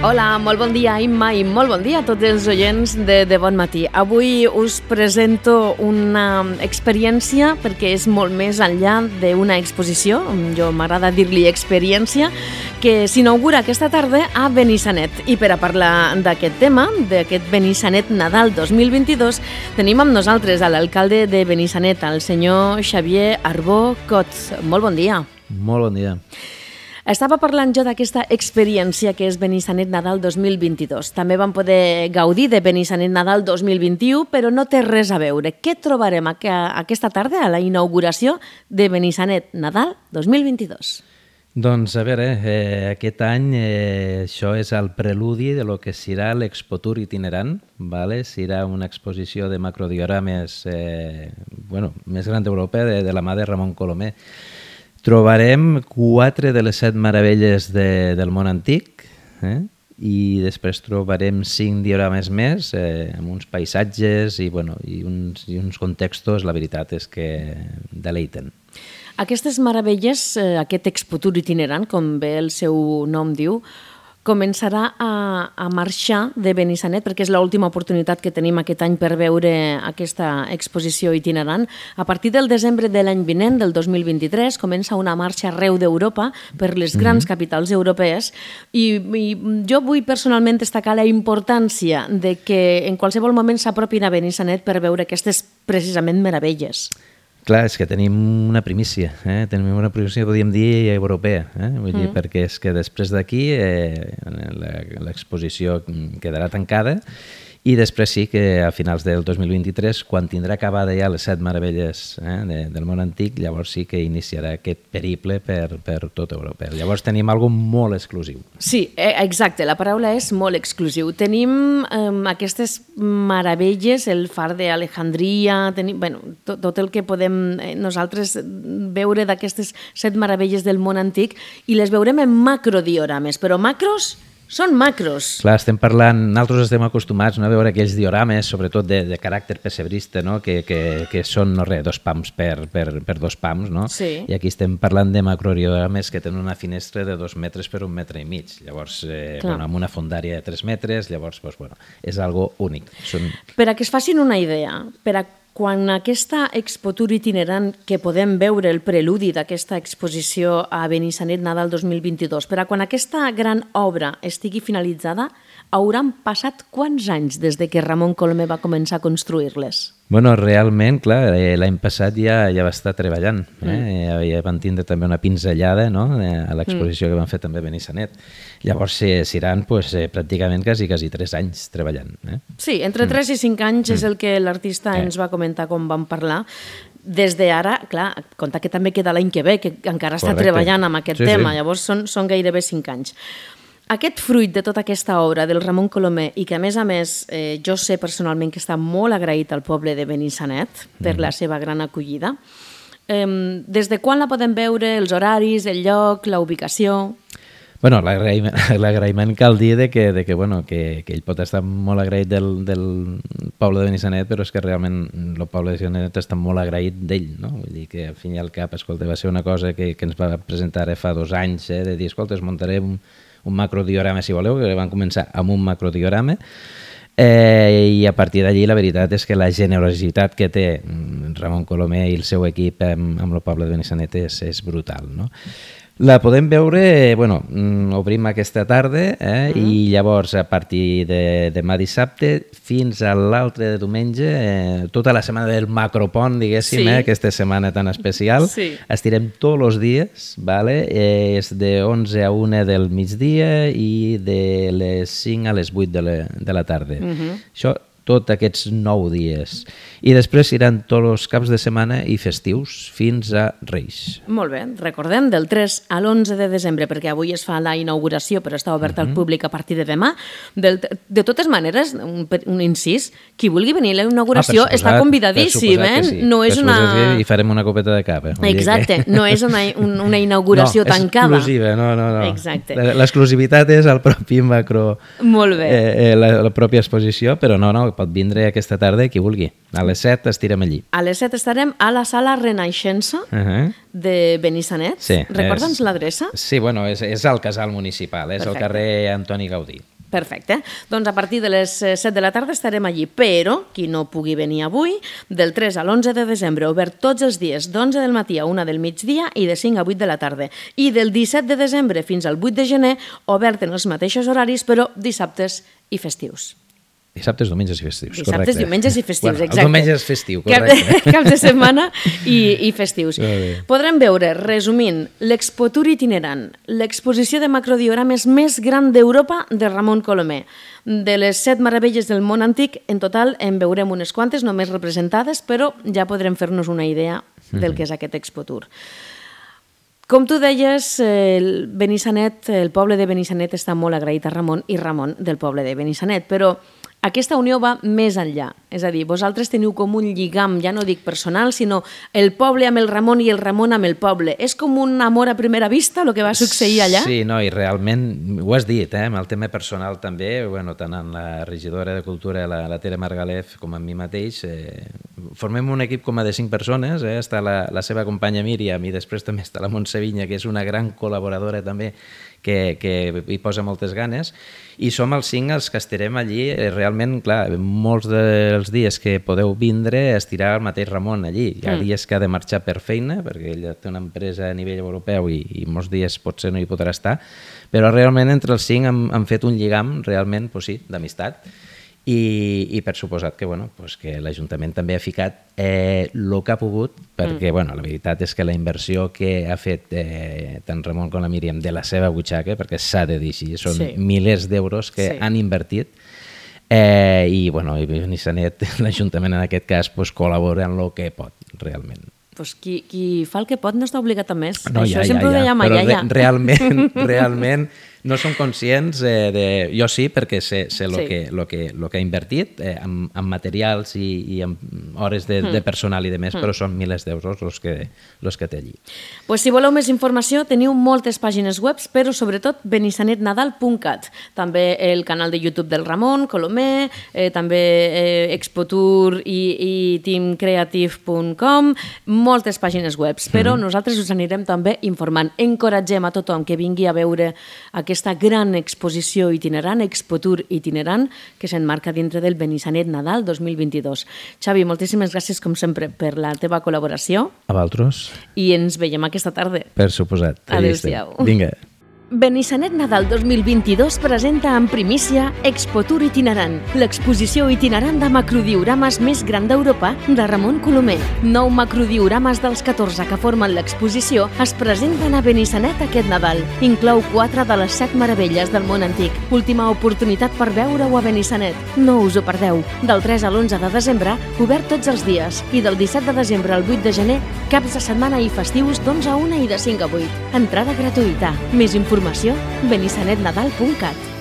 Hola, molt bon dia, Imma, i molt bon dia a tots els oients de Bon Matí. Avui us presento una experiència perquè és molt més enllà d'una exposició, jo m'agrada dir-li experiència, que s'inaugura aquesta tarda a Benissanet. I per a parlar d'aquest tema, d'aquest Benissanet Nadal 2022, tenim amb nosaltres a l'alcalde de Benissanet, el senyor Xavier Arbó Cots. Molt bon dia. Molt bon dia. Estava parlant jo d'aquesta experiència que és Benissanet Nadal 2022. També vam poder gaudir de Benissanet Nadal 2021, però no té res a veure. Què trobarem aquesta tarda a la inauguració de Benissanet Nadal 2022? Doncs, a veure, aquest any això és el preludi de lo que serà l'Expotour itinerant, ¿vale? Serà una exposició de macrodiorames més gran d'Europa, de la mà de Ramon Colomer. Trobarem 4 de les 7 meravelles del món antic i després trobarem 5 diorames més amb uns paisatges i uns contextos, la veritat és que deleiten. Aquestes meravelles, aquest Expotour itinerant, com bé el seu nom diu, començarà a marxar de Benissanet, perquè és l'última oportunitat que tenim aquest any per veure aquesta exposició itinerant. A partir del desembre de l'any vinent, del 2023, comença una marxa arreu d'Europa per les grans capitals europees i jo vull personalment destacar la importància de que en qualsevol moment s'apropin a Benissanet per veure aquestes precisament meravelles. Clar, és que tenim una primícia, tenim una primícia, podríem dir, europea, vull dir, perquè és que després d'aquí l'exposició quedarà tancada i després sí que a finals del 2023, quan tindrà acabada ja les 7 meravelles del món antic, llavors sí que iniciarà aquest periple per tot Europa. Llavors tenim alguna cosa molt exclusiu. Sí, exacte, la paraula és molt exclusiu. Tenim aquestes meravelles, el far d'Alejandria, tot el que podem nosaltres veure d'aquestes 7 meravelles del món antic i les veurem en macrodiorames, però macros són macros. Clar, nosaltres estem acostumats a veure aquells diorames, sobretot de caràcter pessebrista, no? que són, 2 pams per 2 pams, no? Sí. I aquí estem parlant de macrodiorames que tenen una finestra de 2 metres per 1,5 metres. Llavors, amb una fondària de 3 metres, llavors, és algo únic. Per a que es facin una idea, quan aquesta Expotour itinerant que podem veure el preludi d'aquesta exposició a Benissanet Nadal 2022, per a quan aquesta gran obra estigui finalitzada, hauran passat quants anys des de que Ramon Colomer va començar a construir-les? Realment, clar, l'any passat ja va estar treballant. Ja van tindre també una pinzellada a l'exposició que van fer també a Benissanet. Llavors seran pràcticament quasi 3 anys treballant. Sí, entre 3 i 5 anys és el que l'artista ens va comentar quan vam parlar. Des d'ara, clar, compte que també queda l'any que ve, que encara està treballant amb aquest tema, llavors són gairebé 5 anys. Aquest fruit de tota aquesta obra del Ramon Colomer i que, a més, jo sé personalment que està molt agraït al poble de Benissanet per la seva gran acollida. Des de quan la podem veure, els horaris, el lloc, la ubicació? L'agraïment cal dir que ell pot estar molt agraït del poble de Benissanet, però és que realment el poble de Benissanet està molt agraït d'ell, no? Vull dir que al fin i al cap, escolta, va ser una cosa que ens va presentar fa 2 anys, de dir, escolta, es muntaré un macrodiorama, si voleu, que van començar amb un macrodiorama, i a partir d'allí la veritat és que la generositat que té Ramon Colomer i el seu equip amb el poble de Benissanet és brutal, no? La podem veure, obrim aquesta tarda i llavors a partir de demà dissabte fins a l'altre de diumenge, tota la setmana del macropont, diguéssim, aquesta setmana tan especial, estirem tots els dies, és de 11 a 1 del migdia i de les 5 a les 8 de la tarda. Això tots aquests 9 dies. I després iran tots els caps de setmana i festius fins a Reis. Molt bé, recordem, del 3 a l'11 de desembre, perquè avui es fa la inauguració, però està obert al públic a partir de demà. De totes maneres, un incís, qui vulgui venir a la inauguració està convidadíssim, No és una... I farem una copeta de cava. Exacte, no és una inauguració tancada. No, és exclusiva, no. Exacte. L'exclusivitat és el propi macro... Molt bé. La pròpia exposició, però no, pot vindre aquesta tarda qui vulgui. A les 7 estirem allí. A les 7 estarem a la sala Renaixença de Benissanet. Sí. Recorda'ns l'adreça? Sí, és al casal municipal, és al carrer Antoni Gaudí. Perfecte. Doncs a partir de les 7 de la tarda estarem allí, però qui no pugui venir avui, del 3 a l'11 de desembre, obert tots els dies, d'11 del matí a 1 del migdia i de 5 a 8 de la tarda. I del 17 de desembre fins al 8 de gener, obert en els mateixos horaris, però dissabtes i festius. Dissabtes, diumenges i festius, correcte. Dissabtes, diumenges i festius, bueno, exacte. El diumenge és festiu, correcte. Caps de setmana i festius. Podrem veure, resumint, l'Expotour itinerant, l'exposició de macrodiorames més gran d'Europa de Ramon Colomer. De les 7 meravelles del món antic, en total en veurem unes quantes, només representades, però ja podrem fer-nos una idea del que és aquest Expotour. Com tu deies, el poble de Benissanet està molt agraït a Ramon i Ramon del poble de Benissanet, però aquesta unió va més enllà. És a dir, vosaltres teniu com un lligam, ja no dic personal, sinó el poble amb el Ramon i el Ramon amb el poble. És com un amor a primera vista, el que va succeir allà? Sí, no, i realment, ho has dit, amb el tema personal també, tant en la regidora de Cultura, la Tere Margalef, com en mi mateix, formem un equip com a de 5 persones, està la seva companya Míriam i després també està la Montse Vinya, que és una gran col·laboradora també, que hi posa moltes ganes, i som els 5 els que estarem allí. Realment, clar, molts dels dies que podeu vindre estirà el mateix Ramon allí. Hi ha dies que ha de marxar per feina, perquè ell té una empresa a nivell europeu i molts dies potser no hi podrà estar, però realment entre els 5 hem fet un lligam realment, sí, d'amistat. I per suposat que l'Ajuntament també ha ficat el que ha pogut, perquè la veritat és que la inversió que ha fet tant Ramon com la Míriam de la seva butxaca, perquè s'ha de dir així, són milers d'euros que han invertit, i Benissanet, l'Ajuntament en aquest cas, col·labora en el que pot, realment. Pues qui fa el que pot no està obligat a més. No, això sempre ho dèiem però allà. realment no som conscients jo sí, perquè sé el que ha invertit en materials i en hores de personal i de més, però són milers d'euros els que té allí. Pues si voleu més informació, teniu moltes pàgines web, però sobretot benissanetnadal.cat. També el canal de YouTube del Ramon Colomer, també Expotour i teamcreative.com, moltes pàgines web, però nosaltres us anirem també informant. Encoratgem a tothom que vingui a veure aquesta gran exposició itinerant, Expotour itinerant, que s'enmarca dintre del Benissanet Nadal 2022. Xavi, moltíssimes gràcies, com sempre, per la teva col·laboració. A vosaltres. I ens veiem aquesta tarda. Per suposat. Adéu-siau. Vinga. Benissanet Nadal 2022 presenta en primícia Expotour itinerant, l'exposició itinerant de macrodiorames més gran d'Europa de Ramon Colomer. 9 macrodiorames dels 14 que formen l'exposició es presenten a Benissanet aquest Nadal. Inclou 4 de les 7 meravelles del món antic. Última oportunitat per veure-ho a Benissanet. No us ho perdeu. Del 3 a l'11 de desembre, obert tots els dies. I del 17 de desembre al 8 de gener, caps de setmana i festius d'11 a 1 i de 5 a 8. Entrada gratuïta. Més informació, benissanetnadal.cat.